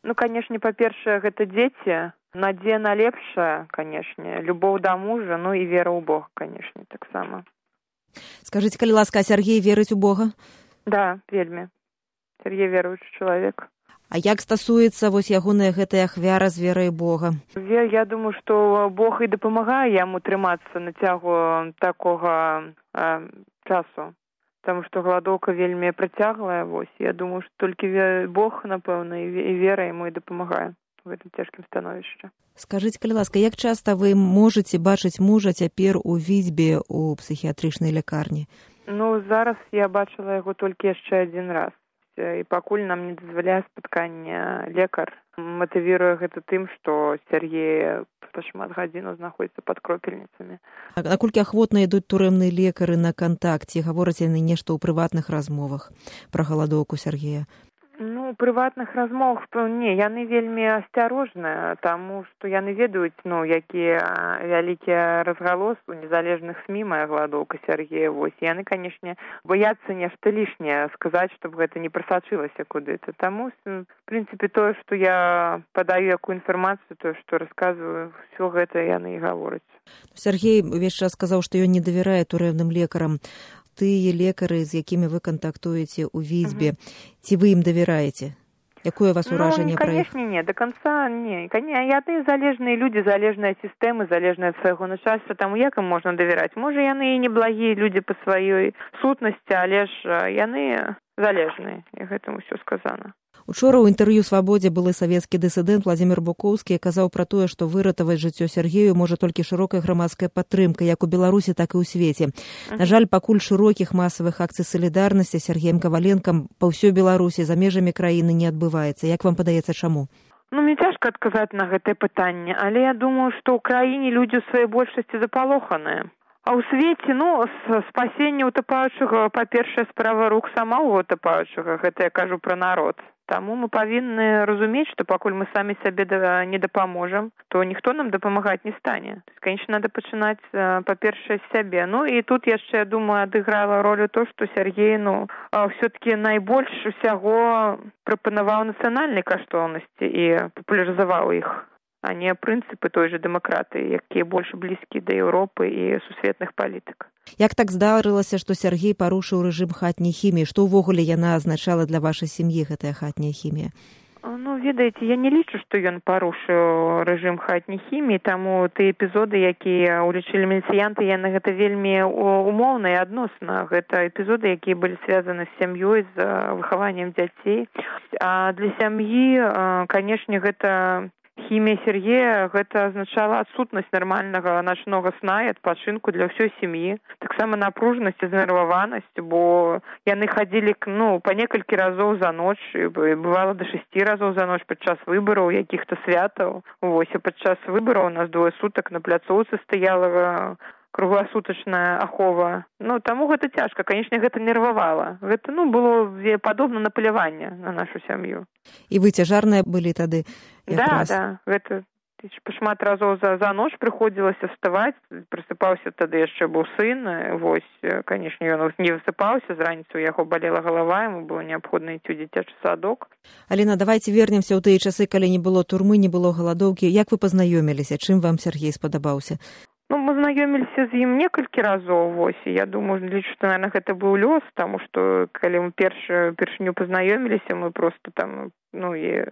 Ну, канешне, па-першае, гэта дзеці. Надзея на лепшае, канешне, любоў да мужа, ну і вера ў Бога, канешне, таксама. Скажыце, калі ласка, а Сяргей верыць у Бога? Да, вельмі. Сяргей веруючы чалавек. А як стасуецца вось ягоная гэтая ахвяра з верай Бога? Я думаю, што Бог і дапамагае яму трымацца на цягу такога часу. Таму што галадоўка вельмі працяглая, вось. Я думаю, што толькі Бог, напэўна, і вера яму і дапамагае в гэтым цяжкім становішчы. Скажыце, калі ласка, як часта вы можаце бачыць мужа цяпер у Віцьбе у псіхіятрычнай лякарні? Ну, зараз я бачыла яго толькі яшчэ адзін раз. І пакуль нам не дазваляе спаткання лекар. Матывіруе гэта тым, што Сяргей шмат гадзінаў знаходзіцца пад кропельніцамі. А наколькі ахвотна ідуць турэмныя лекары на кантакт? Ці гавораць яны нешта ў прыватных размовах пра галадоўку Сяргея? Ну, у прыватных размовах, не, яны вельмі асцярожныя, таму што яны ведаюць, ну, якія вялікія разгалос у незалежных СМІ мая галадоўка Сяргея. Вось, яны, канешне, бояцца нешта лішняе сказаць, чтобы гэта не прасачылася куды-то. Таму, в прынцыпе, тое, што я падаю якую інфармацыю, тое, што расказваю, ўсё гэта яны і гавораць. Сяргей увесь час сказаў, што ён не давярае турэмным лекарам. Тыя лекары, з якімі вы кантактуеце ў Віцьбе, ці вы ім давяраеце? Якое у вас уражанне пра іх? Конечно, не, до конца не. Яны залежныя людзі, залежныя сістэмы, залежныя ад свайго начальства, таму як ім можна давяраць? Можа, яны і неблагія людзі па сваёй сутнасці, але ж яны залежныя, і гэтым усё сказана. Учора ў інтэрв'ю «Свабодзе» былы савецкі дысідэнт Владзімір Букоўскі казаў пра тое, што выратаваць жыццё Сяргею можа толькі шырокая грамадская падтрымка, як у Беларусі, так і ў свеце. На жаль, пакуль шырокіх масавых акцый салідарнасці з Сяргеем Каваленкам па ўсёй Беларусі за межамі краіны не адбываецца. Як вам падаецца, чаму? Ну, мне цяжка адказаць на гэтае пытанне, але я думаю, што ў краіне людзі ў сваёй большасці запалоханыя. А ў свеце, ну, спасенне утапаючага, па-першае, справа рук самого утапаючага, гэта я кажу пра народ. Таму мы павінны разумець, што пакуль мы самі сабе не дапаможам, то ніхто нам дапамагаць не стане. Конечно, надо пачынаць, па-першае, з сябе. Ну, і тут яшчэ, я думаю, адыграла ролю то, што Сяргей, ну, все-таки найбольш усяго прапанаваў нацыянальнай каштоўнасці і папулярызаваў іх, а не прынцыпы той же дэмакратыі, якія больш блізкі да Еўропы і сусветных палітык. Як так здарылася, што Сяргей парушыў рэжым хатняй хіміі? Што ўвогуле яна азначала для вашай сям'і, гэтая хатняя хімія? Ну, ведаеце, я не лічу, што ён парушыў рэжым хатняй хіміі, таму тыя эпізоды, якія улічылі міліцыянты, яны гэта вельмі умоўна і адносна. Гэта эпізоды, якія былі звязаны з сям'ёй, з выхаваннем дзяцей. А для сям'і, канешне, гэта хімія Сяргея, гэта азначала адсутнасць нармальнага начнога сна і адпачынку для ўсёй сям'і. Таксама напружанасць і знерваванасць, бо яны хадзілі, ну, па некалькі разоў за ноч, бывала да 6 разоў за ноч падчас выбараў, якіх-то святаў. Вось, а падчас выбараў у нас 2 сутак на пляцоўцы стаяла кругласутачная ахова. Ну, таму гэта цяжка. Канечне, гэта нервавала. Гэта, ну, было падобна на паляванне на нашу сям'ю. І вы цяжарныя былі тады? Да. Гэта шмат разоў за ноч прыходзілася вставаць. Прысыпаўся тады яшчэ быў сын. Вось, канечне, ён не высыпаўся. З раніцы у яго балела галава, яму было неабходна ісці ў дзіцячы садок. Аліна, давайте вернемся ў тыя часы, калі не было турмы, не было галадоўкі. Як вы пазнаёміліся? Чым вам Сяргей спадабаўся? Ну, мы знаёміліся з ім некалькі разоў, вось, і я думаю, лічу, што, наверное, гэта быў лёс, таму што, калі мы першыню пазнаёміліся, мы просто там, ну, і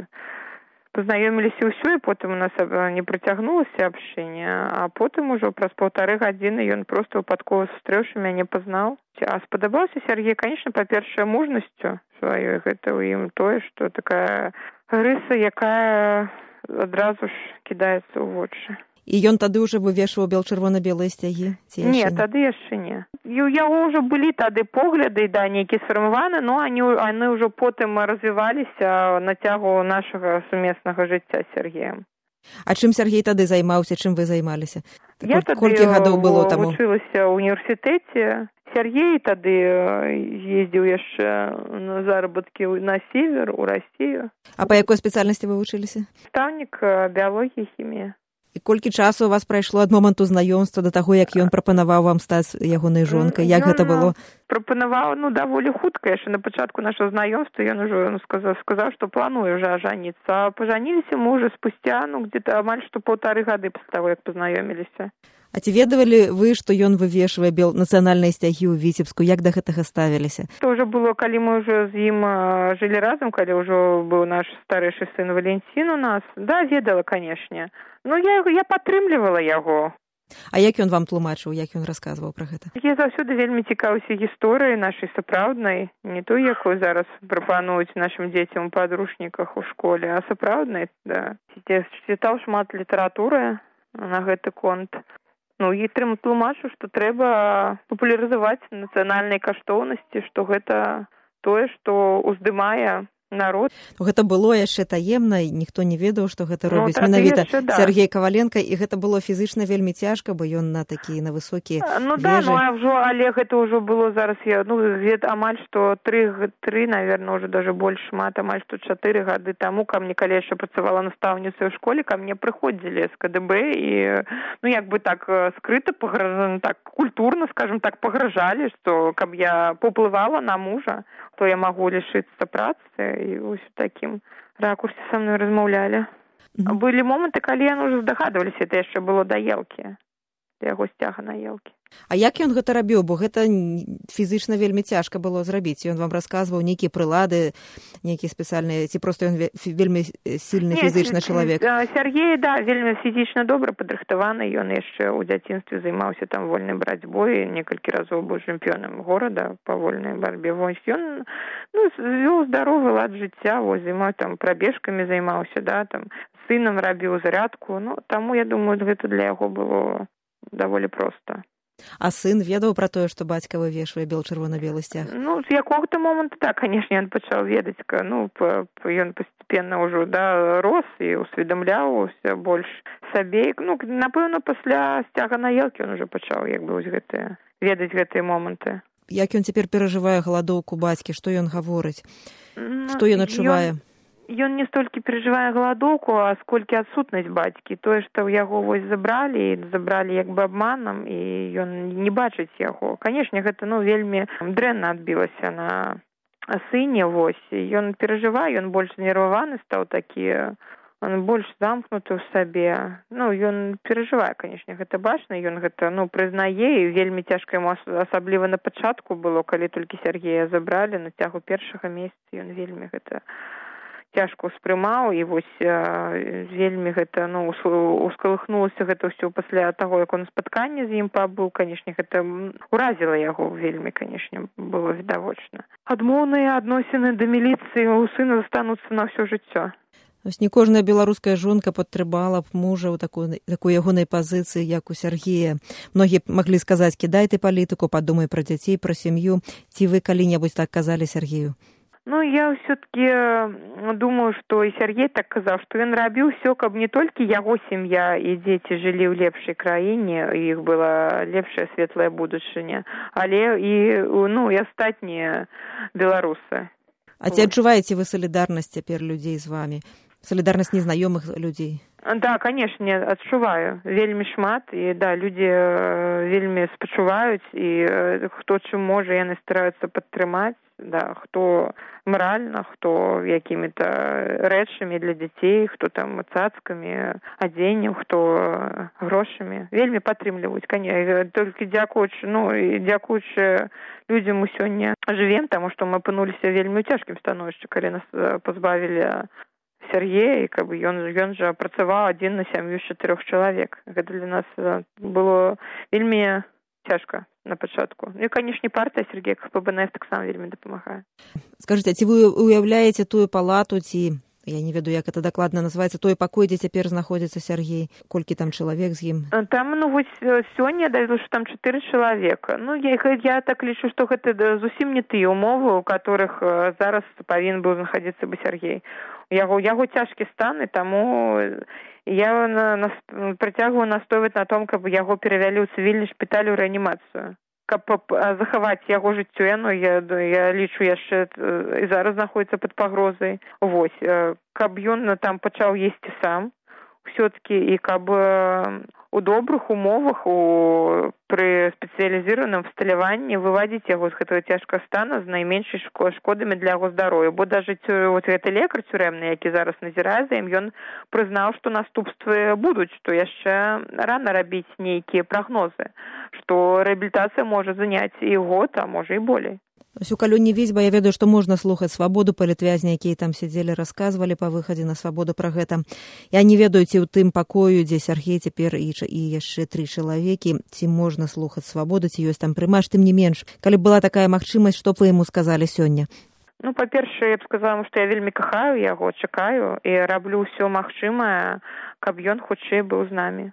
пазнаёміліся ўсё, і потым у нас не працягнулася абшчэнне, а потым ужо праз 1,5 гадзіны ён просто выпадкова сустрэўшы мяне пазнаў. А спадабаўся Сяргей, конечно, па-першае, мужнасцю сваёй, гэта ў ім тое, што такая рыса, якая адразу ж кідаецца ў вочы. І ён тады ўжо вывешваў чырвона-белыя сцягі? Не, тады яшчэ не. У яго ўжо былі тады погляды, да, нейкія сфармаваны, но яны ўжо потым развіваліся на цягу нашага сумеснага жыцця з Сяргеем. А чым Сяргей тады займаўся, чым вы займаліся? Я тады вучылася ў універсітэце. Сяргей тады ездзіў яшчэ на заработкі на север, у Расію. А па якой спецыяльнасці вы вучыліся? Настаўнік біялогіі і хіміі. І колькі часу у вас прайшло ад моманту знаёмства да таго, як ён прапанаваў вам стаць ягонай жонкай? Як гэта было? Прапанаваў, даволі хутка, яшчэ на пачатку нашага знаёмства ён ужо сказаў, што плануе ўжо ажаніцца. А пажаніліся мы ўжо спусця, где-то амаль што 1,5 гады пасля таго, як пазнаёміліся. А ці ведавалі вы, што ён вывешвае нацыянальныя сцягі ў Віцебску? Як да гэтага ставіліся? Это ўжо было, калі мы ўжо з ім жылі разам, калі ўжо быў наш старэйшы сын Валентин у нас. Да, ведала, канешне. Я падтрымлівала яго. А як ён вам тлумачыў, як ён расказваў пра гэта? Я заўсёды вельмі цікаўся гісторыяй нашай сапраўднай, не той, якую зараз прапануюць нашым дзецям у падручніках у школе, а сапраўднай, да. Чытаў шмат літаратуры на гэты конт. І тлумачу, што трэба папулярызаваць нацыянальныя каштоўнасці, што гэта тое, што ўздымае народ. Гэта было яшчэ таемна, ніхто не ведаў, што гэта робіць менавіта Сергей Каваленка, і гэта было фізычна вельмі цяжка, бо ён на высокія вежы. Але гэта ўжо было зараз, амаль што 3, наверное, уже даже больш шмат, амаль што 4 гады таму ка мне, калі яшчэ працавала настаўніцай у школе, ка мне прыходзілі з КДБ і, так скрыта, так культурна, скажем так, пагражалі, што каб я паўплывала на мужа, то я магу лішыцца працы. І вось у такім ракурсе са мной размаўлялі. Былі моманты, калі яны ўжо здагадваліся, это яшчэ было да елкі, да яго сцяга на елкі. А як ён гэта рабіў? Бо гэта фізычна вельмі цяжка было зрабіць. Ён вам расказваў нейкія прылады, нейкія спецыяльныя, ці проста ён вельмі сильны фізычны чалавек? Сергей, вельмі фізічна добра падрыхтаваны. Ён яшчэ ў дзяцінстве займаўся там вольнай барацьбой, некалькі разоў быў чэмпіёнам горада па вольнай барбе. Вось ён вёў здаровы лад жыцця, займаў там прабежкамі займаўся, там сынам рабіў зарядку. Таму, я думаю, гэта для яго было даволі проста. А сын ведаў пра тое, што бацька вывешвае чырвона-белы сцяг? З якога-то моманту, канешне, ён пачаў ведаць. Ён пастепенна ўжо, рос і усведамляўся больш сабе. Напэўна, пасля сцяга на елкі ён ужо пачаў, ведаць гэтыя моманты. Як ён цяпер перажывае галадоўку бацькі? Што ён гаворыць? Што ён адчувае? Ён не столькі перажывае галадоўку, а сколькі адсутнасць бацькі. Тое, што яго забралі абманам, і ён не бачыць яго. Канешне, гэта вельмі дрэнна адбілася на сыне. Ён перажывае, ён больш знерваваны стаў такі, он больш замкнуты ў сабе. Ён перажывае, канешне, гэта бачна, ён гэта прызнае, і вельмі цяжка яму, асабліва на пачатку было, калі толькі Сергея забралі, на цягу першага месяца ён вельмі гэта цяжка ўспрымаў, і вельмі гэта, ускалыхнулася гэта ўсё пасля таго, як он спатканне з ім пабыў. Канешне, гэта уразіла яго вельмі, канешне, было відавочна. Адмоўныя адносіны да міліцыі у сына застануцца на ўсё жыццё. Не кожная беларуская жонка падтрымала б мужа ў такой ягонай пазіцыі, як у Сергея. Многія маглі сказаць: кідай ты палітыку, падумай пра дзяцей, пра сям'ю. Ці вы калі-небудзь так казалі Сергею? Я ўсё-таки думаю, што і Сергей так казаў, што ён рабіў усё, каб не толькі яго сям'я і дзеці жылі ў лепшай краіне, у іх была лепшая светлая будучыня, але і астатнія беларусы. А ці адчуваеце вы салідарнасць цяпер людзей з вамі? Салідарнасць незнаёмых людзей? Да, канешне, адчуваю. Вельмі шмат, і людзі вельмі спачуваюць, і хто чым можа, яны стараюцца падтрымаць. Хто маральна, хто якімі-то рэчамі для дзяцей, хто там цацкамі, адзеннем, хто грошамі. Вельмі падтрымліваюць, толькі дзякуючы людзям мы сёння жывем, таму што мы апынуліся вельмі ў цяжкім становішчы, калі нас пазбавілі Сергея, і ён жа працаваў адзін на сям'ю з 4 чалавек. Гэта для нас было вельмі цяжка на пачатку. І, канешне, партыя Сергея КПБНС таксама вельмі дапамагае. Скажыце, ці вы уяўляеце тую палату, ці, я не ведаю, як гэта дакладна называецца, той пакой, дзе цяпер знаходзіцца Сергей? Колькі там чалавек з ім? Там, сёння давяло, што там 4 чалавека. Я так лічу, што гэта зусім не тыя ўмовы, у которых зараз павінен быў знаходзіцца бы Сергей. Яго цяжкі стан, і таму я працягваю настойваць на том, каб яго перавялі ў цывільны шпіталь у рэанімацыю. Каб захаваць яго жыццё, я лічу, яшчэ і зараз знаходзіцца пад пагрозай. Каб ён там пачаў есці сам, все-таки і каб у добрых умовах пры спецыялізіраваным всталяванні вывадзіць яго з гэтага цяжкага стана з найменшай шкодамі для яго здароўя. Бо даже гэты лекар цюрэмны, які зараз назірае за ім, ён прызнаў, што наступствы будуць, што яшчэ рана рабіць нейкія прагнозы, што рэабілітацыя можа заняць і год, а можа і болей. У Калюні Візьба я ведаю, што можна слухаць свабоду, палітвязні, якія там сядзелі, расказвалі па выхадзе на свабоду пра гэта. Я не ведаю, ці ў тым пакою, дзе Сяргей цяпер і яшчэ 3 чалавекі, ці можна слухаць свабоду, ці ёсць там прымаш, тым не менш. Калі б была такая магчымасць, што б вы яму сказалі сёння? Ну, па-першае, я б сказала, што я вельмі кахаю яго, чакаю і раблю ўсё магчымае, каб ён хутчэй быў з намі.